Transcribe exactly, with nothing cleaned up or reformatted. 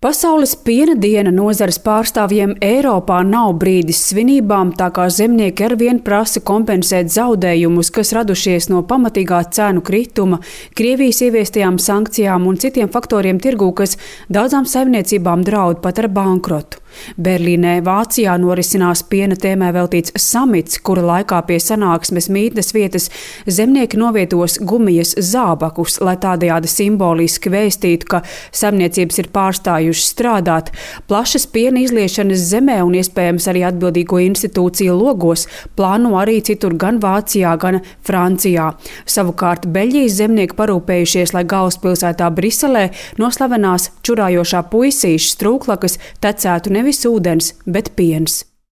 Pasaules piena diena nozares pārstāvjiem Eiropā nav brīdis svinībām, tā kā zemnieki arvien prasa kompensēt zaudējumus, kas radušies no pamatīgā cenu krituma, Krievijas ieviestajām sankcijām un citiem faktoriem tirgū, kas daudzām saimniecībām draud pat ar bankrotu. Berlīnē, Vācijā norisinās piena tēmai veltīts samits, kura laikā pie sanāksmes mītnes vietas zemnieki novietos gumijas zābakus, lai tādējādi simboliski vēstītu, ka saimniecības ir pārstājušas strādāt. Plašas piena izliešanas zemē un iespējams arī atbildīgo institūciju logos plāno arī citur gan Vācijā, gan Francijā. Savukārt Beļģijas zemnieki parūpējušies, lai galvaspilsētā Briselē no slavenās čurājošā puisīša strūklakas tecētu nevis ūdens, bet piens.